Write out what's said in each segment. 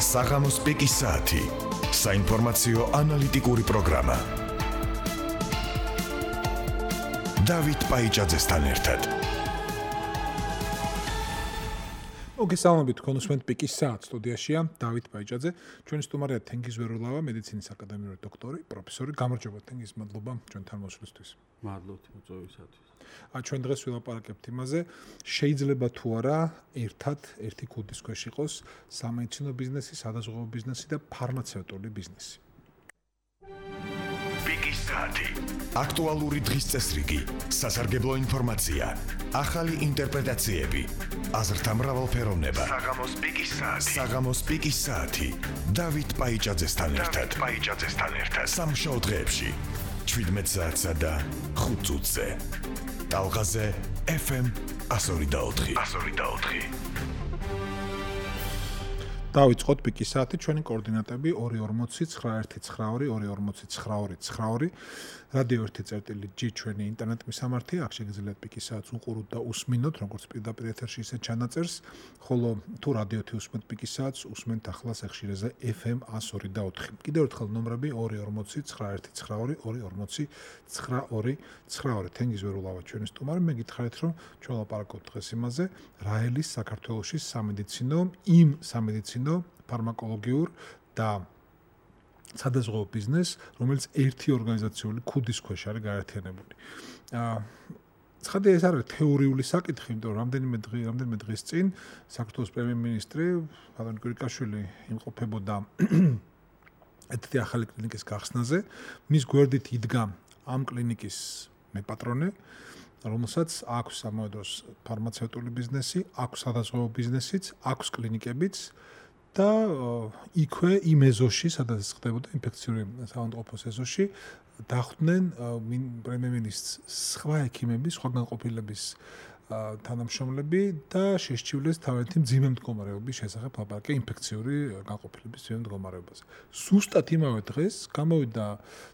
საღამოს პიკის საათი. საინფორმაციო ანალიტიკური პროგრამა. დავით პაიჭაძესთან ერთად. მოგესალმებით, თქვენ უსმენთ პიკის საათს, სტუდიაშია დავით პაიჭაძე. ჩვენი სტუმარია თენგიზ ვერულავა, მედიცინის აკადემიური დოქტორი, პროფესორი. გამარჯობა თენგიზ, მადლობა ჩვენთან მოსვლისთვის. მადლობთ მოწვევისათვის. ჩვენ დღეს ვილაპარაკებთ იმაზე, შეიძლება თუ არა ერთად ერთი ქუდის ქვეშ იყოს სამედიცინო ბიზნესი, სადაზღვევო ბიზნესი და ფარმაცევტული ბიზნესი. პიკის საათი. აქტუალური დღის წესრიგი, სასარგებლო ინფორმაცია, ახალი ინტერპრეტაციები, აზრთა მრავალფეროვნება. საღამოს პიკის საათი. დავით პაიჭაძესთან ერთად. სამშაბათ დღეებში 17 საათსა და 5 წუთზე. ტალღაზე FM 102.4. დავიწყოთ პიკის საათი, ჩვენი კოორდინატები 240-9192-240-92. რადიო 1.G ჩვენი ინტერნეტ მისამართი, აქ შეგიძლიათ პიკის საათს უყუროთ და უსმინოთ, როგორც პირდაპირ ეთერში, ისე ჩანაწერს, ხოლო თუ რადიო 1 უსმენთ პიკის საათს, უსმენთ ახლას ეხშირეზე FM 102.4. კიდევ ერთხელ ნომრები 240-9192-240-92. თენგიზ ვერულავა ჩვენი სტუმარი, მე გითხარით, რომ ჩვენ ვლაპარაკობთ დღეს იმაზე, რა ელის საქართველოში სამედიცინო ფარმაკოლოგიურ და სადაზღვევო ბიზნეს, რომელიც ერთი ორგანიზაციული ქუდის ქვეშ არის გაერთიანებული. ცხადია, ეს არის თეორიული საკითხი, იმიტომ რომ რამდენიმე დღის წინ საქართველოს პრემიერ-მინისტრი ბატონი კვირიკაშვილი იმყოფებოდა ერთი ახალი კლინიკის გახსნაზე. მის გვერდით იდგა ამ კლინიკის მეპატრონე, რომელსაც აქვს ამავე დროს ფარმაცევტული ბიზნესი, აქვს სადაზღვევო ბიზნესიც, აქვს კლინიკებიც და იქვე იმ ეზოში, სადაც ხდებოდა ინფექციური საავადმყოფოს ეზოში, დახვდნენ პრემიერ-მინისტრს სხვა ექიმები, სხვა განყოფილების თანამშრომლები და შესჩივლეს თავიანთი მძიმე მდგომარეობის შესახებ ლაპარაკი ინფექციური განყოფილების მძიმე მდგომარეობაზე. ზუსტად იმავე დღეს გამოვიდა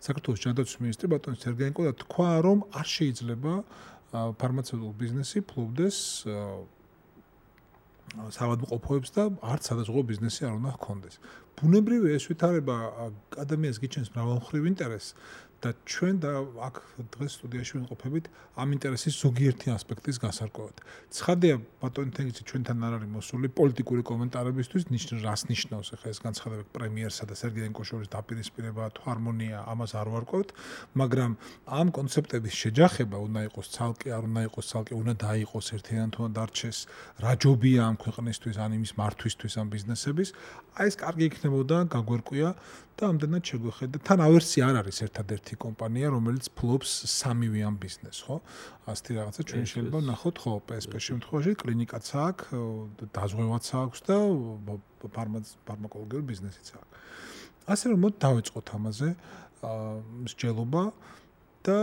საქართველოს ჯანდაცვის მინისტრი ბატონი სერგეენკო და თქვა, რომ არ შეიძლება ფარმაცევტულ ბიზნესი ფლობდეს საავადმყოფოებს და არც სადაზღვევო ბიზნესი არ უნდა ჰქონდეს. ბუნებრივია ეს ვითარება ადამიანს გიჩენს მრავალმხრივ ინტერესს და ჩვენ და აქ დღეს სტუდიაში ვიმყოფებით ამ ინტერესის ზოგიერთი ასპექტის გასარკვევად. ცხადია, ბატონი თენგიზი ჩვენთან არ არის მოსული პოლიტიკური კომენტარებისთვის, რას ნიშნავს ახლა ეს განცხადება პრემიერსა და სერგეენკოს შორის დაპირისპირება თუ ჰარმონია, ამას არ ვარკვევთ, მაგრამ ამ კონცეპტების შეჯახება უნდა იყოს ცალკე, არ უნდა იყოს ცალკე, უნდა დაიყოს ერთიანად, უნდა დარჩეს, რა ჯობია ამ ქვეყნისთვის, ან იმის მართვისთვის ამ ბიზნესების, აი ეს კარგი იქნებოდა, გაგვერკვია და ამდენად შეგვეხედა. თან ავერსი არ არის ერთადერთი კომპანია, რომელიც ფლობს სამივე ამ ბიზნესს, ხო? ასეთი რაღაცა ჩვენ შეიძლება ვნახოთ, ხო, PSP შემთხვევაში კლინიკაც აქვს, დაზღვევაც აქვს და ფარმაკოლოგიური ბიზნესიც აქვს. ასე რომ მოდი დავიწყოთ ამაზე მსჯელობა და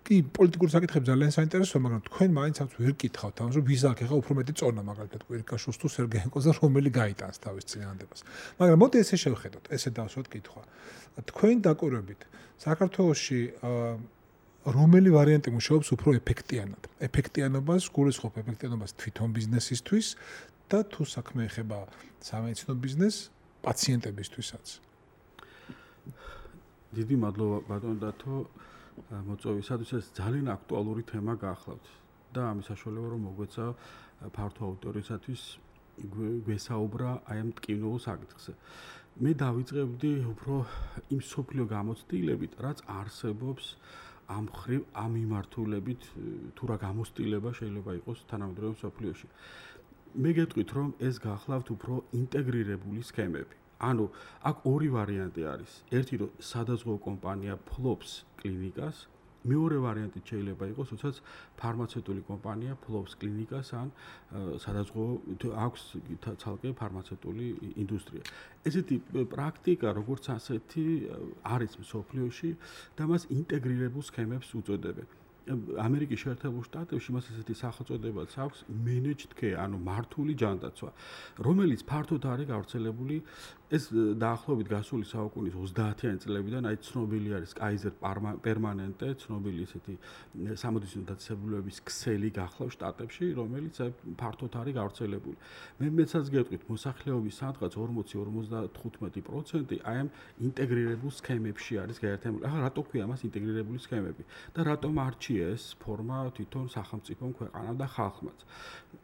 კი პოლიტიკური საკითხები ძალიან საინტერესოა, მაგრამ თქვენ მაინც აქ ვერ გითხავთ ამას, რომ ვის აქვს ახლა უფრო მეტი წონა, მაგალითად კვირიკაშვილს თუ სერგეენკოს და რომელი გაიტანს თავის წინააღმდეგობას. მაგრამ მოდი ესე შევხედოთ, ესე დავსვათ კითხვა. თქვენ დაკვირვებით, საქართველოში რომელი ვარიანტი მუშაობს უფრო ეფექტიანად? ეფექტიანობას, გულისხმობ ეფექტიანობას თვითონ ბიზნესისთვის და თუ საქმე ეხება სამედიცინო ბიზნესს პაციენტებისთვისაც. დიდი მადლობა ბატონო დათო მოწვევისათვის, ეს ძალიან აქტუალური თემა გაახლავთ და ამის საშუალება რომ მოგვეცა ფართო აუდიტორიისათვის გვესაუბრა აი ამ ტკივილ საკითხზე. მე დავიწყებდი უფრო იმ სოფლიო გამოცდილებით, რაც არსებობს ამ ხრივ ამ მიმართულებით, თუ რა გამოცდილება შეიძლება იყოს თანამედროვე სოფლიოში. მე გეტყვით, რომ ეს გაახლავთ უფრო ინტეგრირებული სქემები. ანუ აქ ორი ვარიანტი არის. ერთი რომ სადაზღვევო კომპანია ფლობს კლინიკას, მეორე ვარიანტი შეიძლება იყოს, როდესაც ფარმაცევტული კომპანია ფლობს კლინიკას ან სადაზღვევო აქვს ცალკე ფარმაცევტული ინდუსტრია. ესეთი პრაქტიკა, როგორც ასეთი არის მსოფლიოში და მას ინტეგრირებულ სქემებს უწოდებენ. ამერიკის შეერთებულ შტატებში მას ესეთი სახელწოდებაც აქვს managed care, ანუ მართული ჯანდაცვა, რომელიც ფართოდ არის გავრცელებული ეს დაახლოებით გასული საუკუნის 30-იანი წლებიდან აი ცნობილი არის Kaiser Permanente, ცნობილი ესეთი სამედიცინო დაწესებულებების ქსელი გახლავს შტატებში, რომელიც ფართოდ არის გავრცელებული. მეცაც გეტყვით, მოსახლეობის სადღაც 40-55% აი ამ ინტეგრირებულ სქემებში არის გაერთიანებული. ახლა რატო ქვია მას ინტეგრირებული სქემები და რატომ არჩია ეს ფორმა თვითონ სახელმწიფომ, ქვეყანამ და ხალხმაც?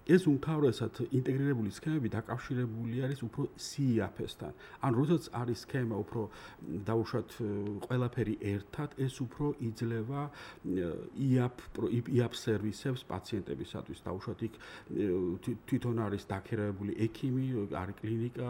ეს უმთავრესად ინტეგრირებული სქემები დაკავშირებული არის უფრო CIAP-სთან. ან როდესაც არის სქემა უფრო დაუშვათ ყველაფერი ერთად, ეს უფრო იძლევა IAP სერვისებს პაციენტებისათვის. დაუშვათ იქ თვითონ არის დაქირავებული ექიმი, არის კლინიკა,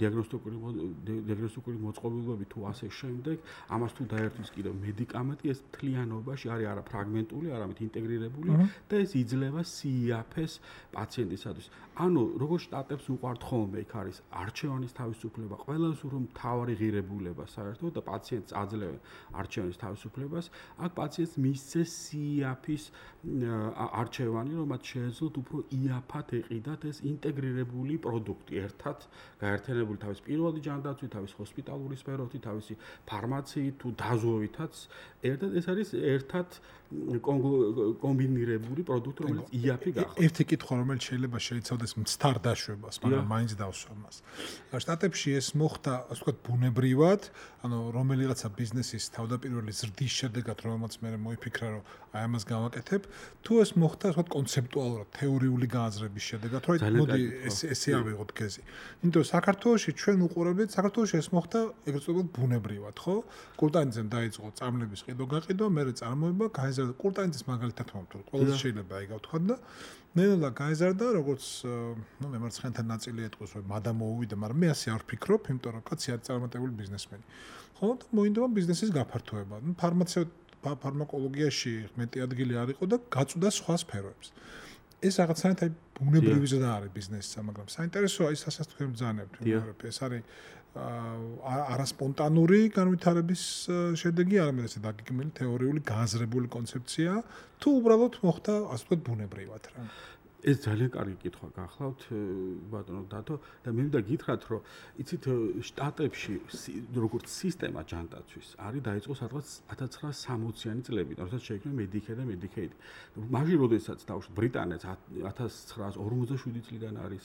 დიაგნოსტიკური მოწყობილობები თუ ასე შემდეგ. ამას თუ დაერთვის კიდევ მედიკამენტი, ეს მთლიანობაში არის არა ფრაგმენტული, არამედ ინტეგრირებული და ეს იძლევა CIAP-ს პაციენტისათვის. ანუ როგორც შტატებს უყვართ ხოლმე იქ არის არჩევანის თავისუფლება, ყველაზე უფრო მთავარი ღირებულება საერთოდ და პაციენტს აძლევენ არჩევანის თავისუფლებას. აქ პაციენტს მისცეს CIAP-ის არჩევანი, რომ მათ შეეძლოთ უფრო IAP-ად ეყიდათ ეს ინტეგრირებული პროდუქტი ერთად, გაერთიანებული თავის პირველი ჯანდაცვით, თავის ჰოსპიტალური სფეროთი, თავისი ფარმაციით თუ დაზვოვითაც ერთად ეს არის ერთად კომბინირებული პროდუქტი, რომელიც IAP-ი გახდა. ერთი კითხვა, რომელიც შეიძლება შეიცავდეს მცდარ დაშვებას, მაგრამ მაინც დავსვა მას. შტატებში ეს მოხდა, ასე ვთქვათ, ბუნებრივად, ანუ რომელიღაცა ბიზნესის თავდაპირველი ზრდის შედეგად, რომელმაც მე მოიფიქრა, რომ აი ამას გავაკეთებ, თუ ეს მოხდა, ასე ვთქვათ, კონცეპტუალურად, თეორიული გააზრების შედეგად, რომ მოდი ესე ავიღოთ გეზი. იმიტომ რომ საქართველოში ჩვენ უყურებთ, საქართველოში ეს მოხდა ეგრეთ წოდებული ბუნებრივად, ხო? კულტანიძემ დაიწყო წამლების ყიდვა-გაყიდვა, მერე წარმოება გაიზარდა კულტანიძის მაგალითად მომთხოვ. ყველაზე შეიძლება აი გავთქვათ და ნელა გაიზარდა, როგორც ნუ მე მარცხენთან ნაწილი ეტყვის, რომ მადა მოუვიდა, მაგრამ მე ასე არ ვფიქრობ, იმიტომ რომ კაცი არის წარმატებული ბიზნესმენი. ხო, და მოინდომა ბიზნესის გაფართოება. ნუ ფარმაკოლოგიაში მეტი ადგილი არ იყო და გაწვდა სხვა სფეროებს. ეს რაღაცნაირად აი ბუნებრივი ზრდა არის ბიზნესისა, მაგრამ საინტერესოა ის ასაც თქვენ ბრძანებთ, ეს არის არასპონტანური განვითარების შედეგი, არამედ ესე დაგეგმილი თეორიული გააზრებული კონცეფცია, თუ უბრალოდ მოხდა, ასე ვთქვათ, ბუნებრივად რა. ეს ძალიან კარგი კითხვა გახლავთ ბატონო დათო და მე მინდა გითხრათ რომ იცით შტატებში როგორც სისტემა ჯანდაცვის არის დაიწყო სადღაც 1960-იანი წლებიდან როდესაც შეიქმნა Medicare და Medicaid. მაშინ როდესაც დავუშვათ ბრიტანეთს 1947 წლიდან არის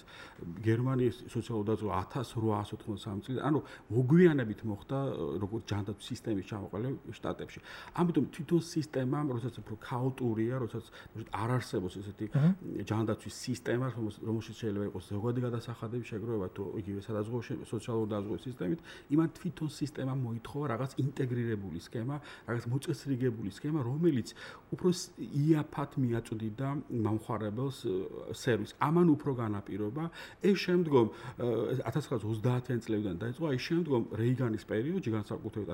გერმანიის სოციალური დაცვა 1883 წლიდან ანუ მოგვიანებით მოხდა როგორც ჯანდაცვის სისტემის ჩამოყალიბება შტატებში. ამიტომ თვითონ სისტემამ როდესაც უფრო ქაოტურია, როდესაც არ არსებობს ესეთი ჯანდაცვის სისტემა, რომელშიც შეიძლება იყოს ზოგადი გადასახადების შეგროვება თუ იგივე სადაზღვევო სოციალური დაზღვევის სისტემით, იმან თვითონ სისტემამ მოითხოვა რაღაც ინტეგრირებული სქემა, რაღაც მოწესრიგებული სქემა, რომელიც უფრო IAP-ად მიაწვდიდა მომხმარებელს სერვისს. ამან უფრო განაპირობა ეს შემდგომ 1930-იანი წლებიდან დაიწყო, აი შემდგომ რეიგანის პერიოდში განსაკუთრებით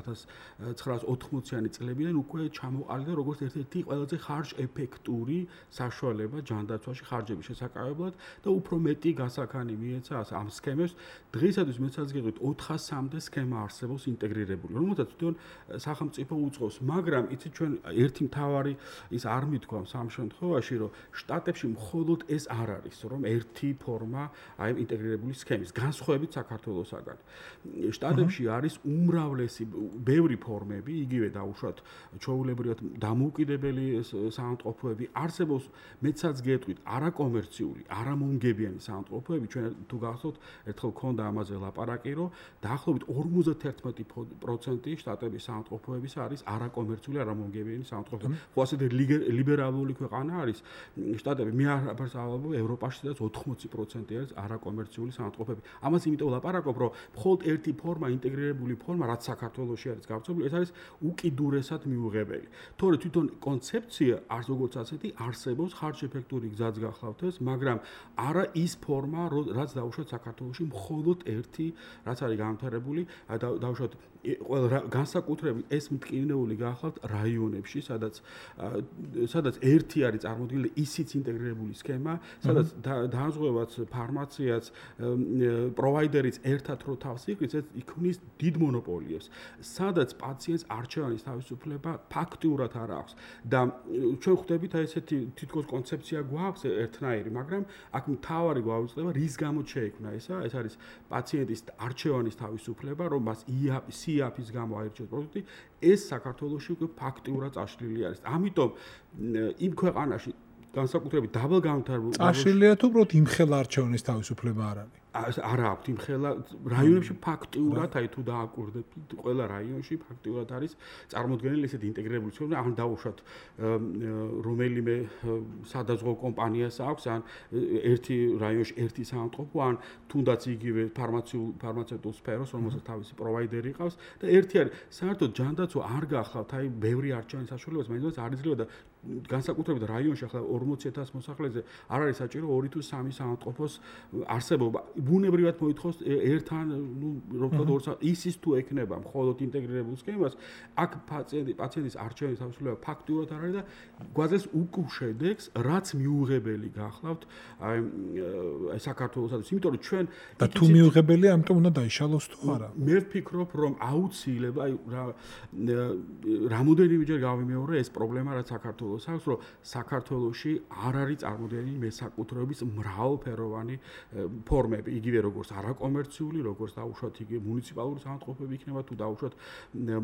1980-იანი წლებიდან უკვე ჩამოყალიბდა როგორც ერთ-ერთი ყველაზე ხარჯ-ეფექტური საშუალება ჯანდაცვაში ხარჯების შესაკავებლად და უფრო მეტი გასახანი მიეცა ამ სქემებს. დღეისათვის მეცაც გეტყვით 400-მდე სქემა არსებობს ინტეგრირებული, რომელთაც თვითონ სახელმწიფო უწყობს, მაგრამ იცით ჩვენ ერთი მთავარი ის არ მithქვა სამ შემთხვევაში, რომ შტატებში მხოლოდ ეს არ არის, რომ ერთი ფორმა აი ინტეგრირებული სქემის, განსხვავებით საქართველოსაგან. შტატებში არის უმრავლესი ბევრი ფორმები, იგივე დაუშვათ ჩვეულებრივად დამოუკიდებელი საავადმყოფოები არსებობს, მეცაც გეტყვით არაკომერციული, არამომგებიანი საავადმყოფოები, ჩვენ თუ გახსოვთ, ერთხელ ქონდა ამაზე ლაპარაკი, რომ დაახლოებით 51% შტატების საავადმყოფოების არის არაკომერციული, არამომგებიანი საავადმყოფოები. ხო ასეთი ლიბერალური ქვეყანა არის შტატები, მე არაფერს ავაბობ ევროპაში, სადაც 80% არის არაკომერციული საავადმყოფოები. ამას იმიტომ ლაპარაკობ, რომ მხოლოდ ერთი ფორმა, ინტეგრირებული ფორმა, რაც საქართველოში არის გავრცელებული, ეს არის უკიდურესად მიუღებელი. თორე თვითონ კონცეფცია არც როგორც ასეთი არსებობს ხარჯ-ეფექტური გზაც გახლავთ ეს, მაგრამ არა ის ფორმა, რაც დაუშვათ საქართველოში მხოლოდ ერთი, რაც არის განვითარებული, დაუშვათ ყველა განსაკუთრებით ეს მტკივნეული გახლავთ რაიონებში, სადაც ერთი არის წარმოდგენილი ისიც ინტეგრირებული სქემა, სადაც დააზღვევაც ფარმაციაც, პროვაიდერიც ერთად რო თავს იყრის, ეს იქმნის დიდ მონოპოლიებს, სადაც პაციენტს არჩევანის თავისუფლება ფაქტიურად არ აქვს და ჩვენ ხვდებით აი ესეთი თითქოს კონცეფცია გვაქვს ერთნაირი, მაგრამ აქ მთავარი გვაუწყდება რის გამო შეიქმნა ესა, ეს არის პაციენტის არჩევანის თავისუფლება, რომ მას CIAP-ის გამო აირჩიოს პროდუქტი, ეს საქართველოში უკვე ფაქტიურად წაშლილი არის. ამიტომ იმ ქვეყანაში განსაკუთრებით დაბალგანვითარებულ წაშლილია თუ უბრალოდ იმხელა არჩევანის თავისუფლება არ არის? არა აქვთ იმხელა რაიონებში ფაქტიურად, აი თუ დააკვირდებით, ყველა რაიონში ფაქტიურად არის წარმოდგენილი ესეთი ინტეგრირებული ცხოველი, ან დაუშვათ რომელიმე სადაზღვო კომპანიას აქვს, ან ერთი რაიონში ერთი საავადმყოფო, ან თუნდაც იგივე ფარმაცევტულ სფეროს, რომელსაც თავისი პროვაიდერი ყავს და ერთი არის საერთოდ ჯანდაცვა არ გახლავთ, აი ბევრი არჩევანის საშუალებაც მაინც არის ძლიერა და განსაკუთრებით რაიონში ახლა 40,000 მოსახლეზე არ არის საჭირო 2 თუ 3 საავადმყოფოს არსებობა. ბუნებრივად მოითხოვს ერთთან, რომ ვთქვათ, ისის თუ ექნება მხოლოდ ინტეგრირებულ სქემას, აქ პაციენტის არჩევანის თავისუფლება ფაქტიურად არ არის და გვაძლევს უკუშედეგს, რაც მიუღებელი გახლავთ აი საქართველოსაც, იმიტომ რომ ჩვენ და თუ მიუღებელია, ამიტომ უნდა დაიშალოს თუ არა. მე ვფიქრობ, რომ აუცილებლად აი რამოდენიმეჯერ გავიმეორე ეს პრობლემა, რაც საქართველოს აქვს, რომ საქართველოში არ არის წარმოდგენილი მესაკუთრეობის მრავალფეროვანი ფორმები. იგივე როგორც არაკომერციული, როგორც დაუშვათ იგივე მუნიციპალური საავადმყოფოები იქნება თუ დაუშვათ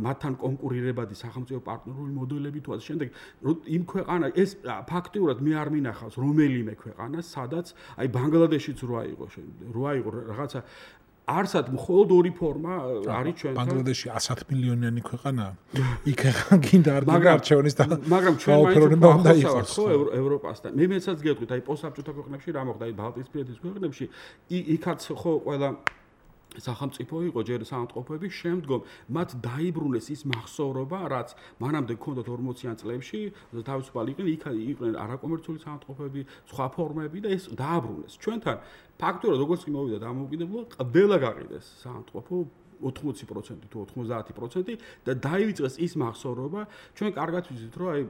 მათთან კონკურირებადი სახელმწიფო პარტნიორული მოდელები თუ ასე შემდეგ. იმ ქვეყანა ეს ფაქტიურად მე არ მინახავს რომელიმე ქვეყანა, სადაც აი ბანგლადეშიც რო აიღო რაღაცა არსად მხოლოდ ორი ფორმა არის ჩვენთან. ბანგლადეში 100 მილიონიანი ქვეყანაა. იქ გინდა არ გინდა არჩევანის და მაგრამ ჩვენ მაინც ვახსოვთ ხო ევროპასთან. მე მეცაც გეტყვით აი პოსტსაბჭოთა ქვეყნებში რა მოხდა აი ბალტიისპირეთის ქვეყნებში იქაც ხო ყველა სახელმწიფო იყო ჯერ საავადმყოფოები, შემდგომ მათ დაიბრუნეს ის მახსოვრობა, რაც მანამდე ჰქონდათ 40-იან წლებში, თავისუფალი იყვნენ, იქ იყვნენ არაკომერციული საავადმყოფოები, სხვა ფორმები და ეს დააბრუნეს. ჩვენთან ფაქტურად როგორც კი მოვიდა დამოუკიდებლობა, ყველა გაყიდეს საავადმყოფო 80% თუ 90% და დაივიწყეს ის მახსოვრობა, ჩვენ კარგად ვიცით, რომ აი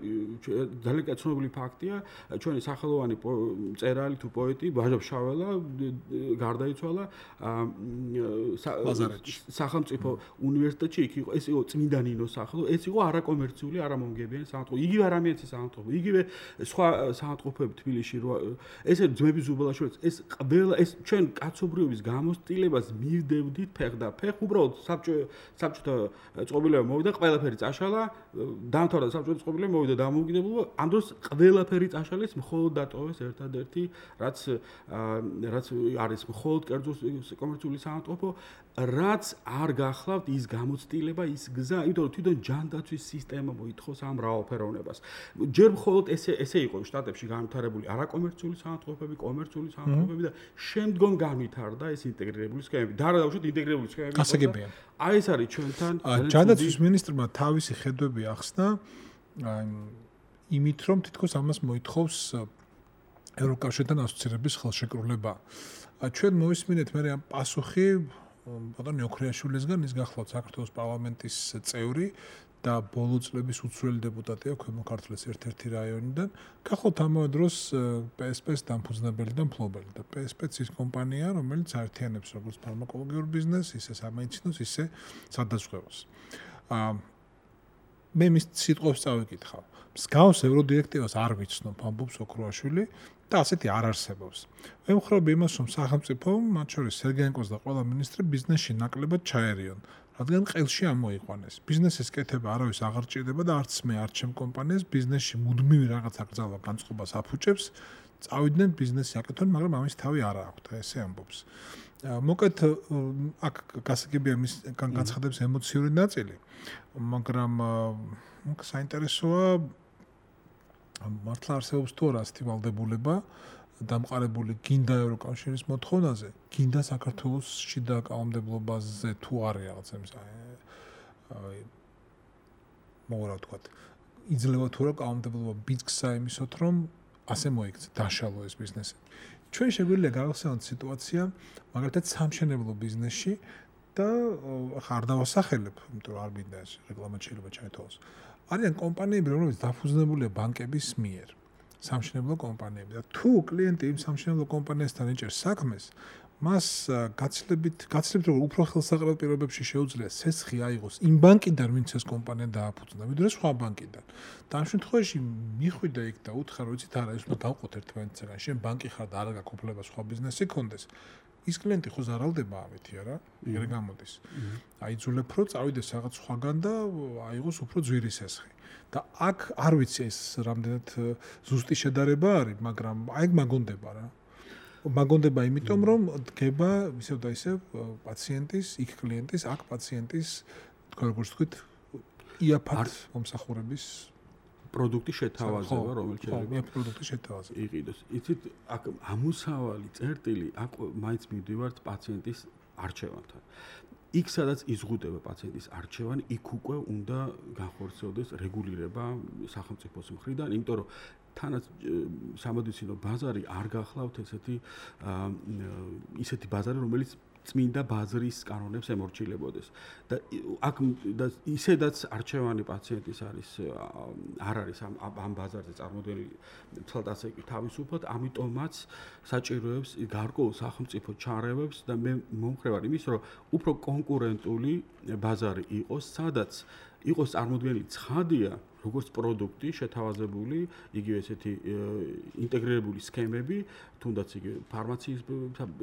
ძალიან ცნობილი ფაქტია, ჩვენი სახელოვანი მწერალი თუ პოეტი ვაჟა შაველა გარდაიცვალა სახელმწიფო უნივერსიტეტში, იქ იყო ეს იყო წმინდა ნინოს სახელო, ეს იყო არაკომერციული, არამომგებიანი საავადმყოფო, იგივე არამიეცის საავადმყოფო, იგივე სხვა საავადმყოფოები თბილისში, ესე ძმები ზუბალაშვილიც, ეს ყველა ეს ჩვენ კაცობრიობის გამოცდილებას მივდევდით ფეხ და ფეხ უბრალოდ საბჭოთა წყობილება მოვიდა, ყველაფერი წაშალა, დამთავრდა საბჭოთა წყობილება, მოვიდა დამოუკიდებლობა, ამ დროს ყველაფერი წაშალეს, მხოლოდ დატოვეს ერთადერთი, რაც არის მხოლოდ კერძო კომერციული საავადმყოფო, რაც არ გახლავთ ის გამოცდილება, ის გზა, იმიტომ რომ თვითონ ჯანდაცვის სისტემა მოითხოვს ამ მრავალფეროვნებას. ჯერ მხოლოდ ესე იყო შტატებში განვითარებული არაკომერციული საავადმყოფოები, კომერციული საავადმყოფოები და შემდგომ განვითარდა ეს ინტეგრირებული სქემები. და რა დავუშვათ ინტეგრირებული სქემები. აი ეს არის ჩვენთან ჯანდაცვის მინისტრმა თავისი ხედვები ახსნა იმით, რომ თითქოს ამას მოითხოვს ევროკავშირთან ასოცირების ხელშეკრულება. ჩვენ მოვისმინეთ მე ამ პასუხი ბატონ ოქრიაშვილისგან, ის გახლავთ საქართველოს პარლამენტის წევრი და ბოლო წლების უცვლელი დეპუტატია ქვემო ქართლის ერთ-ერთი რაიონიდან. გახლავთ ამავე დროს PSP-ს დამფუძნებელი და მფლობელი და PSP-ც ის კომპანია, რომელიც აერთიანებს როგორც ფარმაკოლოგიურ ბიზნესს, ისე სამედიცინოს, ისე სადაზღვევოს. მე მის სიტყვებს წავიკითხავ. მსგავს ევროდირექტივას არ ვიცნობ, ამბობს ოქროაშვილი და ასეთი არ არსებობს. მე ვხრობ იმას, რომ სახელმწიფომ, მათ შორის სერგეენკოს და ყველა მინისტრი ბიზნესში ნაკლებად ჩაერიონ, რადგან ყელში ამოიყვანეს. ბიზნესის კეთება არავის აღარ ჭირდება და არც მე არ ჩემ კომპანიას ბიზნესში მუდმივი რაღაც აკრძალვა განწყობას აფუჭებს, წავიდნენ ბიზნესი აკეთონ, მაგრამ ამის თავი არ აქვს, ესე ამბობს. მოკეთ აქ გასაგებია მის განცხადების ემოციური ნაწილი, მაგრამ საინტერესოა მართლა არსებობს თუ არა ასეთი ვალდებულება დამყარებული გინდა ევროკავშირის მოთხოვნაზე, გინდა საქართველოს შიდა კანონმდებლობაზე თუ არის რაღაც იმის მოგრა ვთქვათ, იძლევა თუ არა კანონმდებლობა ბიძგსა იმისოთ, რომ ასე მოიქცეთ, დაშალო ეს ბიზნესი. ჩვენ შეგვიძლია გავახსენოთ სიტუაცია, მაგალითად სამშენებლო ბიზნესში და ხარ დავასახელებ, იმიტომ რომ არ მინდა ეს რეკლამა შეიძლება ჩაითვალოს. არიან კომპანიები, რომლებიც დაფუძნებულია ბანკების მიერ, სამშენებლო კომპანიები და თუ კლიენტი იმ სამშენებლო კომპანიასთან იჭერს საქმეს, მას გაცილებით რომ უფრო ხელსაყრელ პირობებში შეუძლია სესხი აიღოს იმ ბანკიდან, ვინც ეს კომპანია დააფუძნა, ვიდრე სხვა ბანკიდან. და ამ შემთხვევაში მიხვიდა იქ და უთხრა, რომ იცით არა, ეს უნდა დავყოთ ერთმანეთისგან. შენ ბანკი ხარ და არ გაქვს უფლება სხვა ბიზნესი კონდეს. ის კლიენტი ხო ზარალდება ამეთი არა? ეგრე გამოდის. აიძულებ რომ წავიდეს რაღაც სხვაგან და აიღოს უფრო ძვირი სესხი. და აქ არ ვიცი ეს რამდენად ზუსტი შედარება არის, მაგრამ აი მაგონდება რა. მაგონდება იმიტომ რომ დგება ისევ და ისევ პაციენტის, იქ კლიენტის, აქ პაციენტის, თქვენ როგორც თქვით, იაფად მომსახურების პროდუქტის შეთავაზება, რომელიც შეიძლება პროდუქტის შეთავაზება იყიდოს. იცით, აქ ამოსავალი წერტილი, აქ მაინც მივდივართ პაციენტის არჩევანთან. იქ სადაც იზღუდება პაციენტის არჩევანი, იქ უკვე უნდა განხორციელდეს რეგულირება სახელმწიფოს მხრიდან, იმიტომ რომ თანაც სამედიცინო ბაზარი არ გახლავთ ისეთი ბაზარი, რომელიც წმინდა ბაზრის კანონებს ემორჩილებოდეს. და აქ ისედაც არჩევანი პაციენტის არის არ არის ამ ბაზარზე წარმოდგენილი თვალთ ასე თავისუფლად, ამიტომაც საჭიროებს გარკვეულ სახელმწიფო ჩარევებს და მე მომხრევარ იმის, რომ უფრო კონკურენტული ბაზარი იყოს, სადაც იყოს წარმოდგენილი ცხადია როგორც პროდუქტი შეთავაზებული, იგივე ესეთი ინტეგრირებული სქემები, თუნდაც იგივე ფარმაციის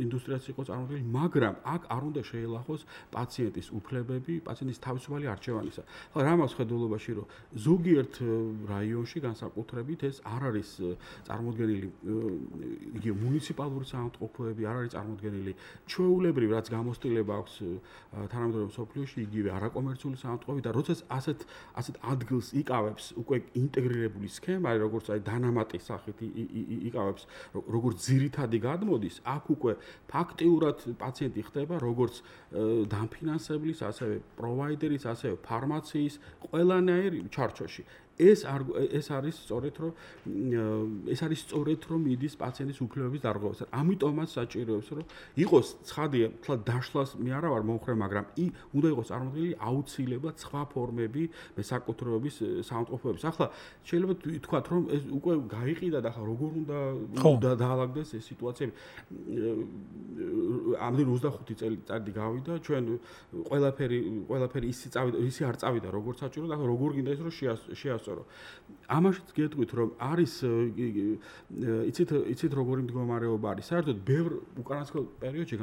ინდუსტრიაც იყოს წარმოდგენილი, მაგრამ აქ არ უნდა შეელახოს პაციენტის უფლებები, პაციენტის თავისუფალი არჩევანისა. ხო, რა მაქვს ხედულობაში, რომ ზოგიერთ რაიონში განსაკუთრებით ეს არ არის წარმოდგენილი იგივე მუნიციპალური საავადმყოფოები, არ არის წარმოდგენილი ჩვეულებრივ, რაც გამოცდილება აქვს თანამედროვე მსოფლიოში, იგივე არაკომერციული საავადმყოფოები და როდესაც ასეთ ადგილს იკავებს უკვე ინტეგრირებული სქემა, როგორც აი დანამატის სახით იკავებს, როგორც ძირითადი გადმოდის, აქ უკვე ფაქტიურად პაციენტი ხდება როგორც დამფინანსებლის, ასევე პროვაიდერის, ასევე ფარმაციის ყველანაირ ჩარჩოში. ეს არის სწორედ რომ მიდის პაციენტის უფლებების დარღვევაზე. ამიტომაც საჭიროებს რომ იყოს ცხადია, თლა დაშლას მე არა ვარ მომხრე, მაგრამ უნდა იყოს წარმოდგენილი აუცილებლად სხვა ფორმები მესაკუთრეობის საავადმყოფოების. ახლა შეიძლება თქვათ რომ ეს უკვე გაიყიდა და ახლა როგორ უნდა დაალაგდეს ეს სიტუაციები. ამდენ 25 წელი გავიდა, ჩვენ ყველაფერი ისი არ წავიდა როგორც საჭირო და ახლა როგორ გინდა ის რომ შეასწრო. ამაშიც გეტყვით რომ არის იცით როგორი მდგომარეობა არის საერთოდ ბევრ უკანასკნელ პერიოდში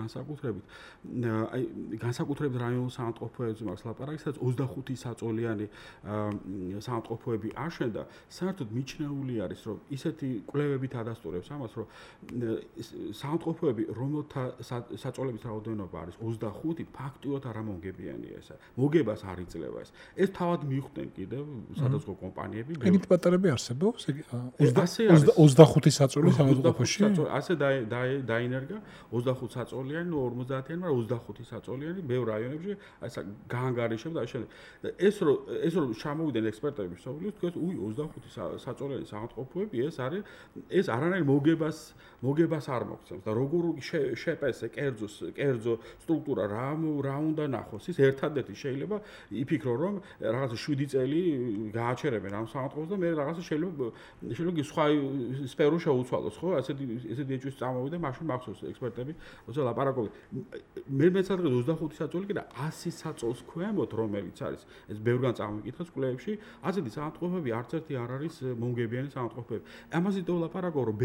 განსაკუთრებით რაიონულ საავადმყოფოებზე მაქვს ლაპარაკი, სადაც 25 საწოლიანი საავადმყოფოები აშენდა, საერთოდ მიჩნეული არის რომ ისეთი კვლევებით ადასტურებს ამას რომ საავადმყოფოები რომელთა საწოლების რაოდენობა არის 25, ფაქტიურად არამონგებიანია ეს. მოგებას არ იძლევა ეს. ეს თავად მიხვდნენ კიდევ სადაზღვო კომპანიები. ეგეთი პატარები არსებობს? 25 საწოლი საავადმყოფოში? ასე დაინერგა 25 საწოლიანი, 50-იანი, მაგრამ 25 საწოლიანი ბევრ რაიონებში აი გაანგარიშებდა და ეს რომ ჩამოვიდნენ ექსპერტები მსოფლიოს, თქვენ 25 საწოლიანი საავადმყოფოები ეს არანაირ მოგებას არ მოგცემს და როგორ შეპესე კერძო სტრუქტურა რა უნდა ნახოს. ის ერთადერთი შეიძლება იფიქრო რომ რაღაცა 7 წელი გააჩერებენ ამ საავადმყოფოს და მე რაღაცა შეიძლება სხვა სფერო შეუცვალოს, ხო? ასეთი ეჭვის წამოვიდა, მაშინ მახსოვს ექსპერტები, როცა ლაპარაკობენ. მე მეცადღე 25 საწოლი კი და 100 საწოლს ქვემოთ, რომელიც არის. ეს ბევრგან წამოვიკითხეს კვლევებში, ასეთი საავადმყოფოები არც ერთი არ არის მონგებიანი საავადმყოფოები. ამაზე თუ ლაპარაკობ, რომ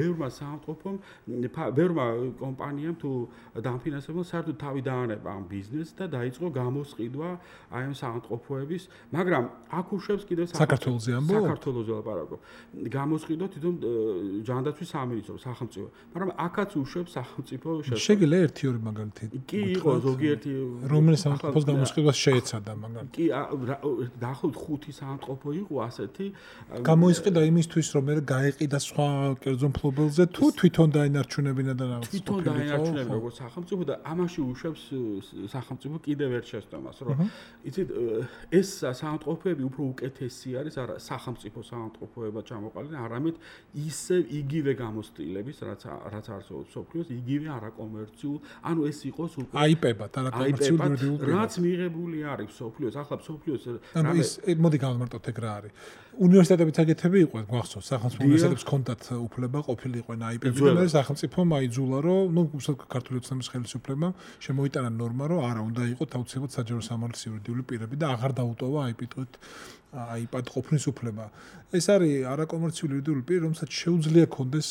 ბევრმა კომპანიამ თუ დამფინანსებელმა საერთოდ თავი დაანება ამ ბიზნესს და დაიწყო გამოსყიდვა აი ამ საავადმყოფოების, მაგრამ აქ უშვებს კიდევ საქართველოზე ამბობ? საქართველოზე ლაპარაკობ. გამოსყიდვა თვითონ ჯანდაცვის სამინისტრო, სახელმწიფო. მაგრამ აქაც უშვებს სახელმწიფო შესაძლებლობა. შეგიძლია 1-2 მაგალითი. კი იყო ზოგიერთი რომელი საავადმყოფოს გამოსყიდვას შეეცადა მაგალითად. კი, დაახლოებით 5 საავადმყოფო იყო ასეთი. გამოისყიდა იმისთვის რომ მე გაეყიდა სხვა კერძო მფლობელზე თუ თვითონ დაინარჩუნებინა და რაღაც. თვითონ დაინარჩუნებინა როგორც სახელმწიფო და ამაში უშვებს სახელმწიფო კიდევ ერთ შესწავლას, რომ იცით ეს საავადმყოფოები უფრო უკეთესი არის, არა არა სახელმწიფო საავადმყოფოებად ჩამოყალიბდა, არამედ ისევ იგივე გამოცდილების, რაც არსებობს სოფლიოს, იგივე არაკომერციულ, ანუ ეს იყოს უკვე აიპებად, არაკომერციულ იურიდიულ პირად. რაც მიღებული არის სოფლიოს, ახლა სოფლიოს ანუ ის მოდი გავმარტოთ ეგ რა არის. უნივერსიტეტებიც აგეთები იყვნენ, გვახსოვს, სახელმწიფო უნივერსიტეტებს ჰქონდათ უფლება ყოფილიყვნენ აიპები და მე სახელმწიფომ აიძულა, რომ ნუ ქართული ოცნების ხელისუფლებამ შემოიტანა ნორმა, რომ არა უნდა იყოს აუცილებლად საჯარო სამართლის იურიდიული პირები და აღარ დაუტოვა აიპით აიპად ყოფნის უფლება. ეს არის არაკომერციული იურიდიული პირი, რომელსაც შეუძლია კონდეს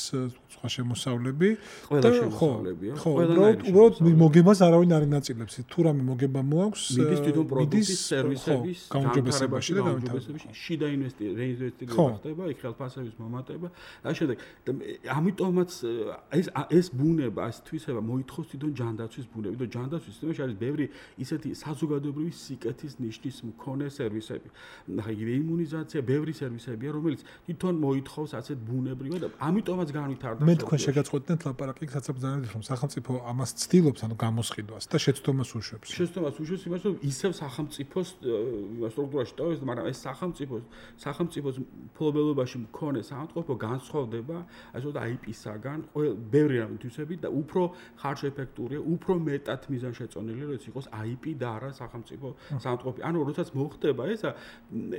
სხვა შემოსავლები და შემოსავლებია. უბრალოდ მოგებას არავინ არ ინაწილებს. თუ რამე მოგება მოაქვს, მიდის თვითონ პროდუქტის სერვისების გაუმჯობესებაში და შიდა რეინვესტირება ხდება, იქ ხელფასების მომატება და შემდეგ ამიტომაც ეს ბუნება, ეს თვისება მოითხოვს თვითონ ჯანდაცვის ბუნები და ჯანდაცვის სისტემაში არის ბევრი ისეთი საზოგადოებრივი სიკეთის ნიშნის მქონე სერვისები. იგივე იმუნიზაცია, ბევრი სერვისებია, რომელიც თვითონ მოითხოვს ასეთ ბუნებრივად და ამიტომაც განვითარდა. მე თქვენ შეგაწყვეტნეთ ლაპარაკი საცაბზანებით, რომ სახელმწიფო ამას ცდილობს, ანუ გამოსყიდვას და შეცდომას უშვებს. შეცდომას უშვებს იმას, რომ ისევ სახელმწიფოს სტრუქტურაში ტოვებს, მაგრამ ეს სახელმწიფოს ფლობელობაში მქონე საავადმყოფო განსხვავდება, ასე ვთქვათ, IP-საგან, ბევრი რამე თვისებით და უფრო ხარჯეფექტურია, უფრო მეტად მიზანშეწონილი, რომ ეს იყოს IP და არა სახელმწიფო საავადმყოფო. ანუ როდესაც მოხდება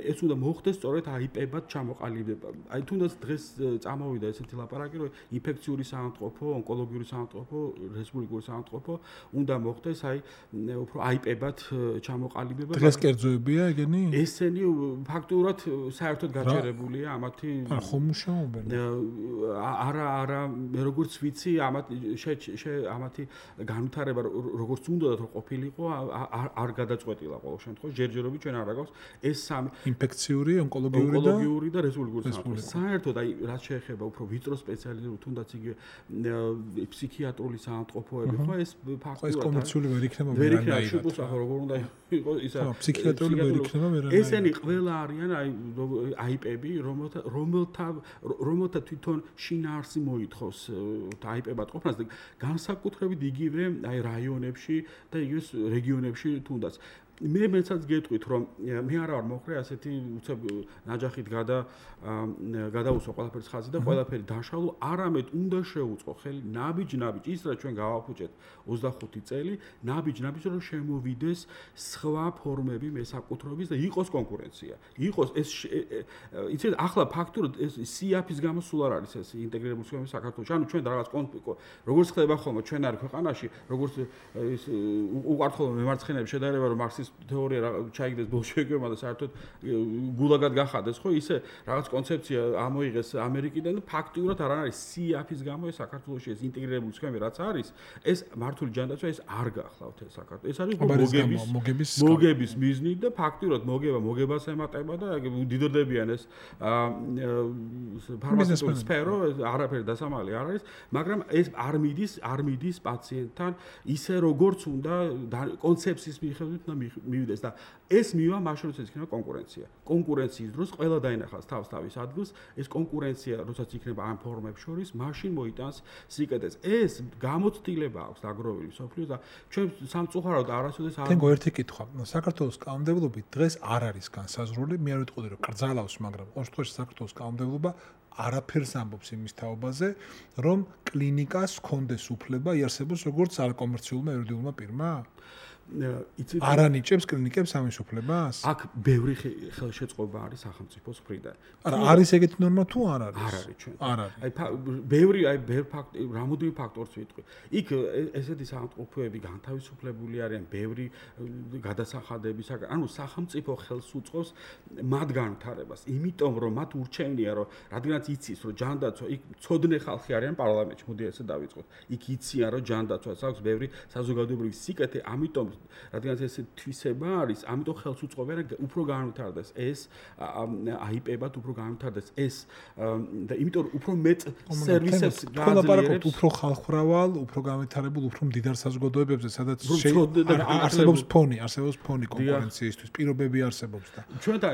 ეს უნდა მოხდეს სწორედ IP-ბად ჩამოყალიბება. აი თუნდაც დღეს წამოვიდა ესეთი ლაპარაკი, რომ ინფექციური საავადმყოფო, ონკოლოგიური საავადმყოფო, რესპუბლიკური საავადმყოფო უნდა მოხდეს აი უფრო IP-ბად ჩამოყალიბება. დღეს კერძოებია ეგენი? ესენი ფაქტურად საერთოდ გაჯერებულია ამათი ხომ მუშაობენ? არა, მე როგორც ვიცი, ამათი განვითარება როგორც უნდათ რომ ყოფილიყო, არ გადაწყვეტილა ყოველ შემთხვევაში, ჯერჯერობით ჩვენ არ აქვს ეს სამი ინფექციური, ონკოლოგიური და რესპუბლიკური საავადმყოფო. საერთოდ აი რაც შეეხება უფრო ვიწრო სპეციალიზირებულ თუნდაც იგივე ფსიქიატრული საავადმყოფოები, ხო ეს ფაქტურად ეს კომერციული ვერ იქნება ვერანაირად. როგორ უნდა იყოს ისა ფსიქიატრული ვერ იქნება ვერანაირად. ესენი ყველა არიან IP-ები, რომელთა თვითონ შინაარსი მოითხოვს IP-ბად ყოფნას და განსაკუთრებით იგივე აი რაიონებში და იგივე რეგიონებში თუნდაც მე მეცაც გეტყვით რომ მე არა ვარ მოხრე ასეთი უცებ ნაჯახით გადაუსვა ყველაფერს ხაზი და ყველაფერი დაშალო არამედ უნდა შეუწყო ხელი ნაბიჯ ის რა ჩვენ გავაფუჭეთ 25 წელი ნაბიჯ რომ შემოვიდეს სხვა ფორმები მესაკუთრების და იყოს კონკურენცია იყოს ეს იცით ახლა ფაქტურად ეს CIAP-ის გამო სულ არ არის ეს ინტეგრირებული სისტემა საქართველოში ანუ ჩვენ რაღაც როგორც ხდება ხოლმე ჩვენ არ ქვეყანაში როგორც ის უყარტხოვო მემარცხენეების შედარება რომ მარქსის თეორია ჩაიგდეს ბოლშევიკებმა და საერთოდ გულაგად გახადეს ხო ისე რაღაც კონცეფცია ამოიღეს ამერიკიდან ფაქტიურად არ არის CIAP-ის გამო ეს საქართველოში ეს ინტეგრირებული სქემა რაც არის ეს მართული ჯანდაცვა ეს არ გახლავთ ეს საქართველოს ეს არის მოგების მიზნით და ფაქტიურად მოგებას ემატება და დიდრდებიან ეს ფარმაცევტული სფერო არაფერი დასამალი არ არის მაგრამ ეს არ მიდის პაციენტთან ისე როგორც უნდა კონცეფციის მიხედვით უნდა მივიდეს და ეს მივა მაშინ როდესაც იქნება კონკურენცია. კონკურენციის დროს ყველა დაინახავს თავის ადგილს, ეს კონკურენცია როდესაც იქნება ამ ფორმებს შორის, მაშინ მოიტანს სიკეთეს. ეს გამოცდილება აქვს დაგროვილი სოფლიოს და ჩვენ სამწუხაროდ არასოდეს არ თქო ერთი კითხვა. საქართველოს კანონმდებლობით დღეს არ არის განსაზღვრული, მე არ ვიტყოდი რომ კრძალავს, მაგრამ ყოველ შემთხვევაში საქართველოს კანონმდებლობა არაფერს ამბობს იმის თაობაზე, რომ კლინიკას ჰქონდეს უფლება იარსებოს როგორც არაკომერციულმა იურიდიულმა პირმა? არ ანიჭებს კლინიკებს ამის უფლებას? აქ ბევრი ხელშეწყობა არის სახელმწიფოს მხრიდან. არა, არის ეგეთი ნორმა თუ არ არის? არ არის ჩვენ. არ არის. ბევრი რამოდენიმე ფაქტორს ვიტყვი. იქ ესეთი საავადმყოფოები განთავისუფლებული არიან, ბევრი გადასახადებისაგან. ანუ სახელმწიფო ხელს უწყობს მათ განვითარებას. იმიტომ რომ მათ ურჩევნია რომ რადგანაც იცის რომ ჯანდაცვა იქ ცოდნე ხალხი არიან პარლამენტში, მოდი ესე დავიწყოთ. იქ იციან რომ ჯანდაცვას აქვს ბევრი საზოგადოებრივი სიკეთე, ამიტომ რადგანაც ეს თვისება არის, ამიტომ ხელს უწყობენ უფრო განვითარდეს ეს IP-ბად უფრო განვითარდეს ეს და იმიტომ უფრო მეტ სერვისებს გააძლიერებს უფრო ხალხმრავალ, უფრო განვითარებულ, უფრო მდიდარ საზოგადოებებზე, სადაც არსებობს ფონი კონკურენციისთვის, პირობები არსებობს და ჩვენ და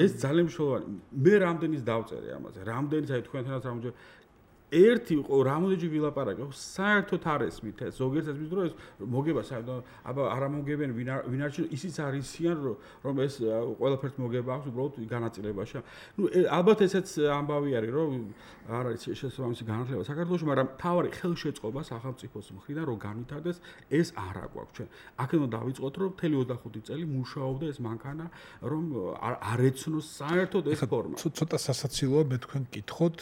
ეს ძალიან მნიშვნელოვანი. მე რამდენის დავწერე ამაზე, რამდენის აი თქვენთანაც ერთი რამოდენჯერ ვილაპარაკე, საერთოდ არ ესმით ეს. ზოგიერთ ესმით რომ ეს მოგება საერთოდ აბა არა მოგებენ ვინ არჩენ ისიც არისიან რომ ეს ყველაფერს მოგება აქვს უბრალოდ განაწილებაში. ნუ ალბათ ესეც ამბავი არის რომ არ არის შესაბამისი განათლება საქართველოში, მაგრამ თავარი ხელშეწყობა სახელმწიფოს მხრიდან რომ განვითარდეს ეს არ აგვაქვს ჩვენ. აქედან დავიწყოთ რომ მთელი 25 წელი მუშაობდა ეს მანქანა რომ არ ეცნოს საერთოდ ეს ფორმა. ცოტა სასაცილოა მე თქვენ გკითხოთ,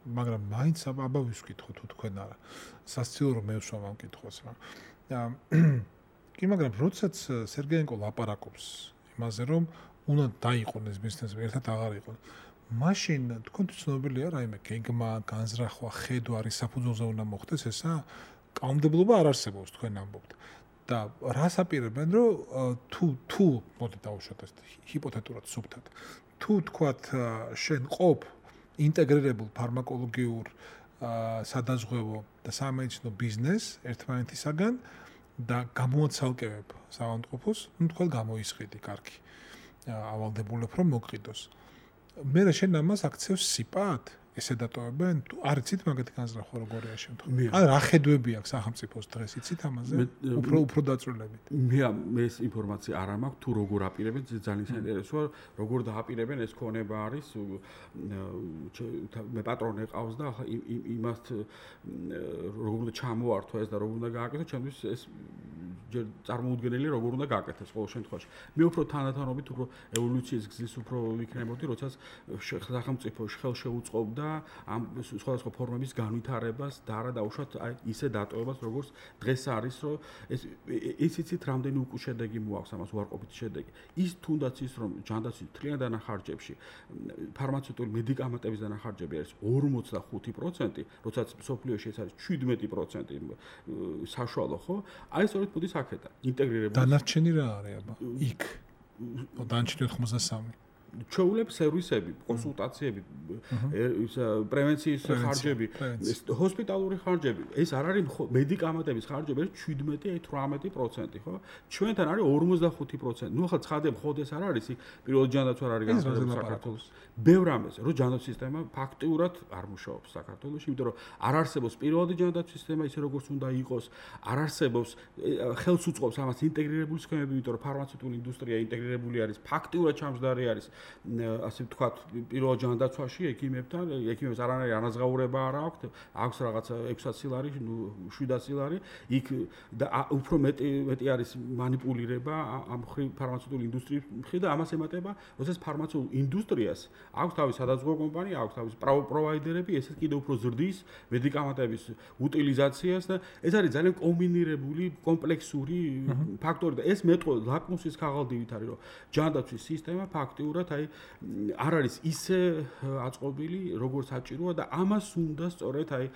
მაგრამ მაინც აბა ვისკითხოთ თუ თქვენ არა. სასაცილო რომ მე ვსვამ ამ კითხვას რა. კი, მაგრამ როდესაც სერგეენკო ლაპარაკობს იმაზე რომ უნდა დაიყონეს ბიზნესი, ერთად აღარ იყო. მაშინ თქვენ ცნობილია რაიმე გეგმა, განზრახვა, ხედვა არის საფუძველზე უნდა მოხდეს ესა? კანონმდებლობა არ არსებობს თქვენ ამბობთ. და რას აპირებენ რომ თუ მოდი დავუშვათ ეს ჰიპოთეტურად სუფთად. თუ თქვათ შენ ყოფ ინტეგრირებულ ფარმაკოლოგიურ სადაზღვევო და სამედიცინო ბიზნეს ერთმანეთისაგან და გამოაცალკევებ საავადმყოფოს, ნუ თქვენ გამოისყიდი კარგი. ავალდებულებ რომ მოგყიდოს. მე რა შენ ამას აქცევს სიპად? ესე დატოვებენ? თუ არ იცით მაგეთი განზრახვა როგორია შემთხვევა? ან რა ხედვები აქვს სახელმწიფოს დღეს იცით ამაზე? უფრო დაწვრილებით. მე ეს ინფორმაცია არ მაქვს თუ როგორ აპირებენ, ძალიან საინტერესოა, როგორ დააპირებენ ეს ქონება არის. მე პატრონი ყავს და ახლა იმას როგორ უნდა ჩამოართვა ეს და როგორ უნდა გააკეთო, ჩემთვის ეს ჯერ წარმოუდგენელი როგორ უნდა გააკეთოს ყოველ შემთხვევაში. მე უფრო თანდათანობით უფრო ევოლუციის გზის უფრო ვიქნებოდი, როდესაც სახელმწიფო ხელშეუწყობდა ამ სხვადასხვა ფორმების განვითარებას და არა დაუშვათ აი ისე დატოვებას როგორც დღეს არის რომ ეს იცით რამდენი უკუ შედეგი მოაქვს ამას უარყოფითი შედეგი ის თუნდაც ის რომ ჯანდაცვის მთლიან დანახარჯებში ფარმაცევტული მედიკამენტების დანახარჯები არის 45%, როდესაც სოფლიოში ეს არის 17% საშუალო ხო აი სწორედ მოდის აქედან ინტეგრირებული დანარჩენი რა არის აბა იქ დანარჩენი 83 ჩვეულებს სერვისები, კონსულტაციები, პრევენციის ხარჯები, ჰოსპიტალური ხარჯები, ეს არ არის მედიკამენტების ხარჯები, ეს 17-18%, ხო? ჩვენთან არის 45%. ნუ ახლა ცხადებ ხოდ ეს არ არის, პირველ ჯანდაცვა არ არის განსაკუთრებული საქართველოს. ბევრ ამაზე, რომ ჯანდაცვის სისტემა ფაქტიურად არ მუშაობს საქართველოში, იმიტომ რომ არ არსებობს პირველადი ჯანდაცვის სისტემა ისე როგორც უნდა იყოს, არ არსებობს ხელს უწყობს ამას ინტეგრირებული სქემები, იმიტომ რომ ფარმაცევტული ინდუსტრია ინტეგრირებული არის, ფაქტიურად ჩამჯდარი არის. ასე ვთქვათ, პირველ ჯანდაცვაში ექიმებს არანაირი ანაზღაურება არ აქვს რაღაცა 600 სილარი, 700 სილარი, იქ და უფრო მეტი არის манипуლირება ამ ფარმაცევტული ინდუსტრიის მხრიდან და ამას ემატება, როდესაც ფარმაცევტულ ინდუსტრიას აქვს თავის სადაზღვევო კომპანია, აქვს თავის პროვაიდერები, ესეც კიდევ უფრო ზრდის მედიკამენტების უტილიზაციას და ეს არის ძალიან კომბინირებული, კომპლექსური ფაქტორი და ეს მეტყველო ლაკმუსის ქაღალდივით არის, რომ ჯანდაცვის სისტემა ფაქტიურად აი არ არის ისე აწყობილი, როგორც საჭიროა და ამას უნდა სწორედ აი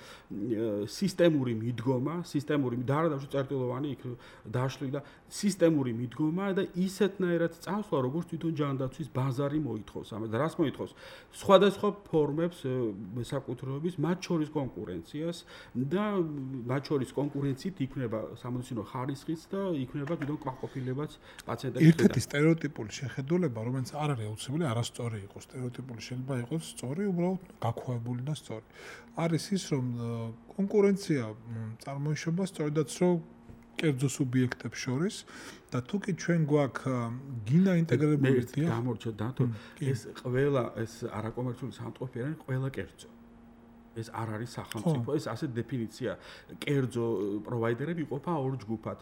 სისტემური მიდგომა, და არა დავშვით წერტილოვანი იქ დაშლი და სისტემური მიდგომა და ისეთნაირად წავსვა, როგორც თვითონ ჯანდაცვის ბაზარი მოითხოვს. ამას და რას მოითხოვს? სხვადასხვა ფორმებს მესაკუთრეობის, მათ შორის კონკურენციას და მათ შორის კონკურენციით იქნება სამედიცინო ხარისხიც და იქნება თვითონ კმაყოფილებაც პაციენტების. ერთ-ერთი სტერეოტიპული შეხედულება, რომელიც არ არის აუცილებელი არასწორი იყოს, სტერეოტიპული შეიძლება იყოს სწორი, უბრალოდ გაქვავებული და სწორი. არის ის, რომ კონკურენცია წარმოიშობა სწორედაც რომ კერძო სუბიექტებს შორის და თუ კი ჩვენ გვაქვს გინა ინტეგრირებული დია გამორჩა და თუ ეს ყველა ეს არაკომერციული სამწყობი არის ყველა კერძო. ეს არ არის სახელმწიფო, ეს ასე დეფინიცია. კერძო პროვაიდერები იყოფა ორ ჯგუფად.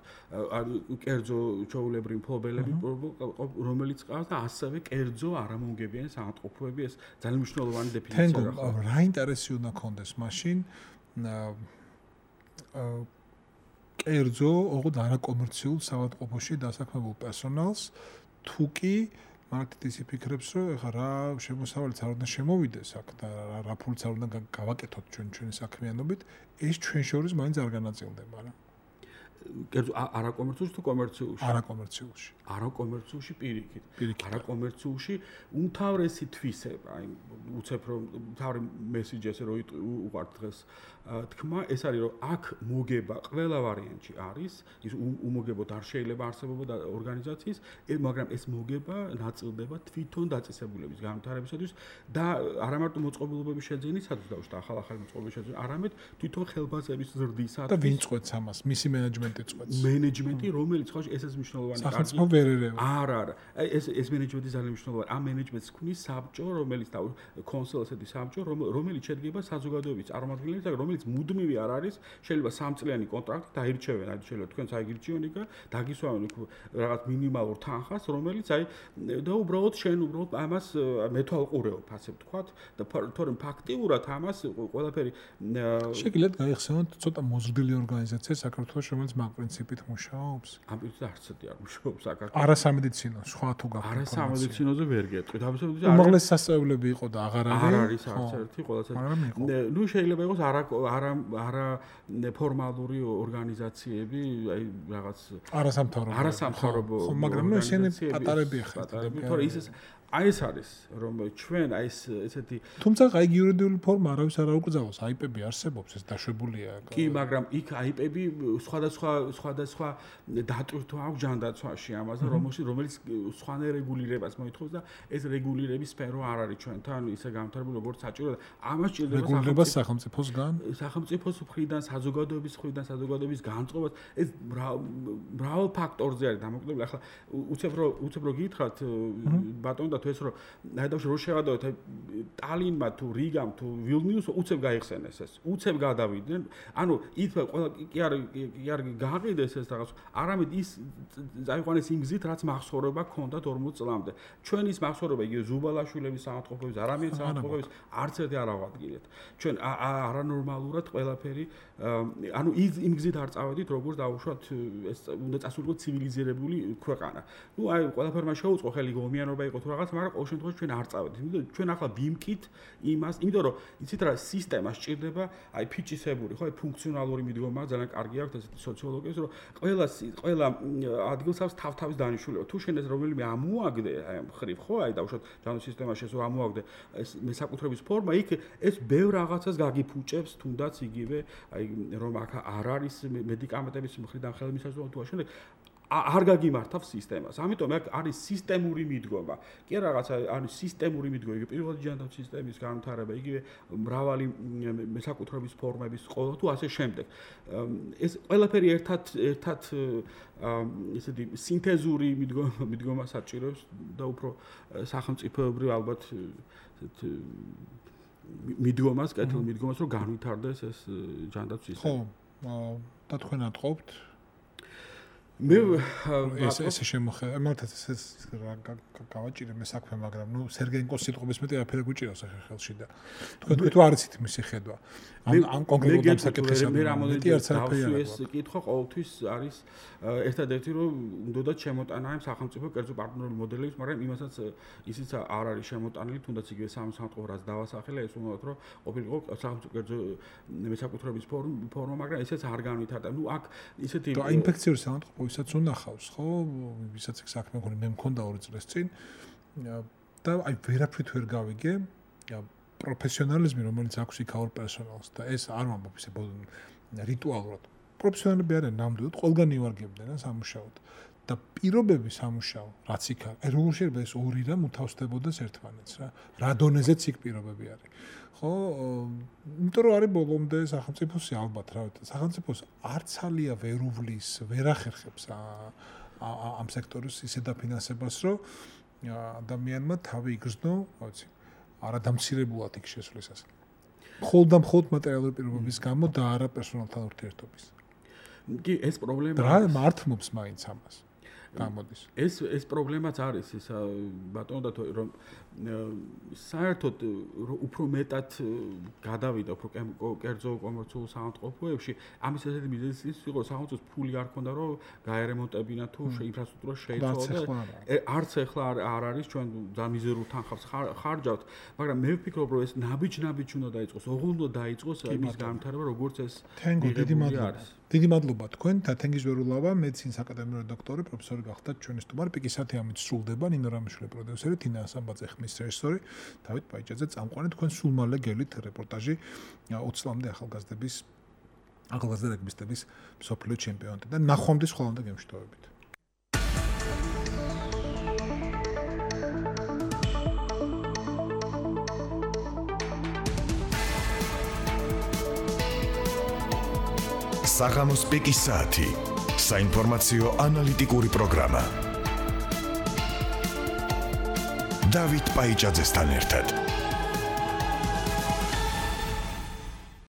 კერძო ჩვეულებრივი მფლობელები, რომელიც ყავს და ასევე კერძო არამონგებიანი საავადმყოფოები, ეს ძალიან მნიშვნელოვანი დეფინიცია რა. რა ინტერესი უნდა კონდეს მაშინ კერძო ოღონდ არაკომერციულ საავადმყოფოში დასაქმებულ პერსონალს თუ კი მარტივ ისე ფიქრებს, რომ ეხლა რა შემოსავალიც არ უნდა შემოვიდეს აქ და რა ფულიც არ უნდა გავაკეთოთ ჩვენი საქმიანობით, ეს ჩვენ შორის მაინც არ განაწილდება რა. კერძო არაკომერციულში თუ კომერციულში? არაკომერციულში. არაკომერციულში პირიქით. პირიქით. არაკომერციულში უმთავრესი თვისება, აი უცებ რომ თავი მესიჯი ესე რო უყართ დღეს თქმა, ეს არის რომ აქ მოგება ყველა ვარიანტში არის, ის უმოგებოდ არ შეიძლება არსებობა ორგანიზაციის, მაგრამ ეს მოგება ნაწილდება თვითონ დაწესებულების განვითარებისათვის და არა მარტო მოწყობილობების შეძენისათვის და ახალ მოწყობილობების შეძენის, არამედ თვითონ ხელბაზების ზრდისათვის. და ვინ წყვეტს ამას? მისი მენეჯმენტი წყვეტს. მენეჯმენტი, რომელიც ხო ესეც მნიშვნელოვანი კარტი. სახელმწიფო ვერ ერევა. არა. ეს მენეჯმენტი ძალიან მნიშვნელოვანი. ამ მენეჯმენტს ქმნის საბჭო, რომელიც კონსოლ ესეთი საბჭო, რომელიც შედგება საზოგადოების წარმომადგენლებისგან, რომელიც მუდმივი არ არის, შეიძლება 3 წლიანი კონტრაქტი დაირჩევენ, აი შეიძლება თქვენ საიგირჩიონ იქ დაგისვამენ რაღაც მინიმალურ თანხას, რომელიც აი და უბრალოდ შენ უბრალოდ ამას მეთვალყურეობ, ასე ვთქვათ, და თორემ ფაქტიურად ამას ყველაფერი შეგიძლიათ გაიხსენოთ ცოტა მოზრდილი ორგანიზაცია საქართველოს, რომელიც მაგ პრინციპით მუშაობს? ამ პრინციპით არც ცოტა არ მუშაობს საქართველოს. არასამედიცინო, სხვა თუ გაქვთ. არასამედიცინოზე ვერ გეტყვით. ამასთანავე უმაღლესი სასწავლებლები იყო და აღარ არის არც ერთი ყოველთვის. ნუ შეიძლება იყოს არა ფორმალური ორგანიზაციები, აი რაღაც არასამთავრობო მაგრამ ნუ ისინი პატარები ხარ. თორე ის აი ეს არის რომ ჩვენ აი ესეთი თუმცა აი იურიდიული ფორმა არავის არ უკრძალავს, IP-ები არსებობს, ეს დაშვებულია. კი, მაგრამ იქ IP-ები სხვადასხვა დატვირთვა აქვს ჯანდაცვაში ამაზე, რომელიც სხვა რეგულირებას მოითხოვს და ეს რეგულირების სფერო არ არის ჩვენთან ისე განვითარებული როგორც საჭირო და ამას ჭირდება რეგულირებას სახელმწიფოსგან, სახელმწიფოს მხრიდან, საზოგადოების მხრიდან, საზოგადოების განწყობას, ეს მრავალ ფაქტორზე არის დამოკიდებული. ახლა უცებ რო გითხრათ ბატონო და თუ ეს რომ ნაიდავში რო შევადოთ ტალინმა თუ რიგამ თუ ვილნიუსს უცებ გაიხსენეს ეს უცებ გადავიდნენ ანუ იქ ყველა კი არ გააყიდეს ეს რაღაც არამედ ის წაიყვანეს იმ გზით რაც მახსოვრება ქონდათ 40 წლამდე ჩვენ ის მახსოვრება იგივე ზუბალაშვილების სამართლობის არამედ სამართლობის არც ერთი არ ავადგილეთ ჩვენ არანორმალურად ყველაფერი ანუ იმ გზით არ წავედით როგორც დაუშვათ ეს უნდა წასულიყო ცივილიზირებული ქვეყანა ნუ აი ყველაფერმა შეუწყო ხელი გომიანობა იყო თუ რაღაც მაგრამ ყოველ შემთხვევაში ჩვენ არ წავედით იმიტომ ჩვენ ახლა ვიმკით იმას იმიტომ რომ იცით რა სისტემა სჭირდება აი ფიჭისებური ხო აი ფუნქციონალური მიდგომა ძალიან კარგი აქვს ესეთი სოციოლოგიის რომ ყველა ადგილსავს თავთავის დანიშნულება თუ შენ ეს რომელიმე ამოაგდე აი ამ ხრივ ხო აი დავუშვათ ჯანო სისტემაში ეს ამოაგდე ეს მესაკუთრების ფორმა იქ ეს ბევრ რაღაცას გაგიფუჭებს თუნდაც იგივე აი რომ აქ არ არის მედიკამენტების მხრიდან ხელმისაწვდომი თუ შენ არ გაგიმართავს სისტემას. ამიტომ აქ არის სისტემური მიდგომა. კი არა რაღაცა არის სისტემური მიდგომა, იგივე პირველი ჯანდაცვის სისტემის განვითარება, იგივე მრავალი მესაკუთრების ფორმების ყოლა თუ ასე შემდეგ. ეს ყველაფერი ერთად ესეთი სინთეზური მიდგომა საჭიროებს და უფრო სახელმწიფოებრივ ალბათ ესეთ მიდგომას, კეთილ მიდგომას რომ განვითარდეს ეს ჯანდაცვის სისტემა. ხო, და თქვენ ატყობთ მე ესე შემოხედა მართლა ეს გავაჭირე მე საქმე მაგრამ ნუ სერგეინკოს სიტყვების მეტი არაფერი გვიჭირავს ახლა ხელში და თქვენ თუ არ იცით მისი ხედვა ამ კონკრეტულ დამსაკეთებისა მე რამოდენმე ეს კითხვა ყოველთვის არის ერთადერთი რომ უნდათ შემოტანა იმ სახელმწიფო კერძო პარტნიორული მოდელების მაგრამ იმასაც ისიც არ არის შემოტანილი თუნდაც იგივე სამსახურო რაც დავასახელა ეს უნდათ რომ ყოფილიყო სახელმწიფო კერძო მესაკუთრების ფორმა მაგრამ ესეც არ განვითარდა ნუ აქ ისეთი და ინფექციური სამართლობა ვისაც უნახავს ხო ვისაც იქ საქმე მქონი მე მქონდა 2 წლის წინ და აი ვერაფრით ვერ გავიგე პროფესიონალიზმი რომელიც აქვს იქაურ პერსონალს და ეს არ ვამბობ ისე რიტუალურად პროფესიონალები არიან ნამდვილად ყველგან ივარგებდნენ სამუშაოდ და პირობები სამუშაო რაც იქ არის როგორ შეიძლება ეს ორი რამ უთავსდებოდეს ერთმანეთს რა დონეზეც იქ პირობები არის ხო იმიტომ რომ არის ბოლომდე სახელმწიფოსი ალბათ რა ვიცი სახელმწიფოს არც ალია ვერ უვლის ვერ ახერხებს ამ სექტორის ისე დაფინანსებას რომ ადამიანმა თავი იგრძნო რა ვიცი არადამცირებულად იქ შესვლისას მხოლოდ მატერიალური პირობების გამო და არა პერსონალთან ურთიერთობის კი ეს პრობლემა რა მართმობს მაინც ამას გამოდის ეს პრობლემაც არის ის ბატონო და რომ საერთოდ უფრო მეტად გადავიდა უფრო კერძო კომერციულ სამართლობებში ამის ესეთი მიზეზი იყო სახელმწიფოს ფული არ ქონდა რომ გაერემონტებინა თუ ინფრასტრუქტურა შეიცვალა არც ახლა არ არის ჩვენ დამიზერულ თანხავს ხარჯავთ მაგრამ მე ვფიქრობ რომ ეს ნაბიჯ უნდა დაიწყოს ოღონდ უნდა დაიწყოს იმის განვითარება როგორც ეს დიდი დიდი მადლობა თქვენ და თენგიზვერულავა მედიცინის აკადემიური დოქტორი პროფესორი გახდათ ჩვენი სტუმარი პიკისათი ამით სრულდება ნინო რამიშვილი პროდიუსერი თინა ასამბაძე ხმის რეჟისორი დავით პაიჭაძე წამყვანი თქვენ სულ მალე გელით რეპორტაჟი 20 წლამდე ახალგაზრდა რეგბისტების მსოფლიო ჩემპიონატი და ნახვამდის ხოლმე გემშვიდობებით საღამოს პიკის საათი საინფორმაციო ანალიტიკური პროგრამა დავით პაიჭაძესთან ერთად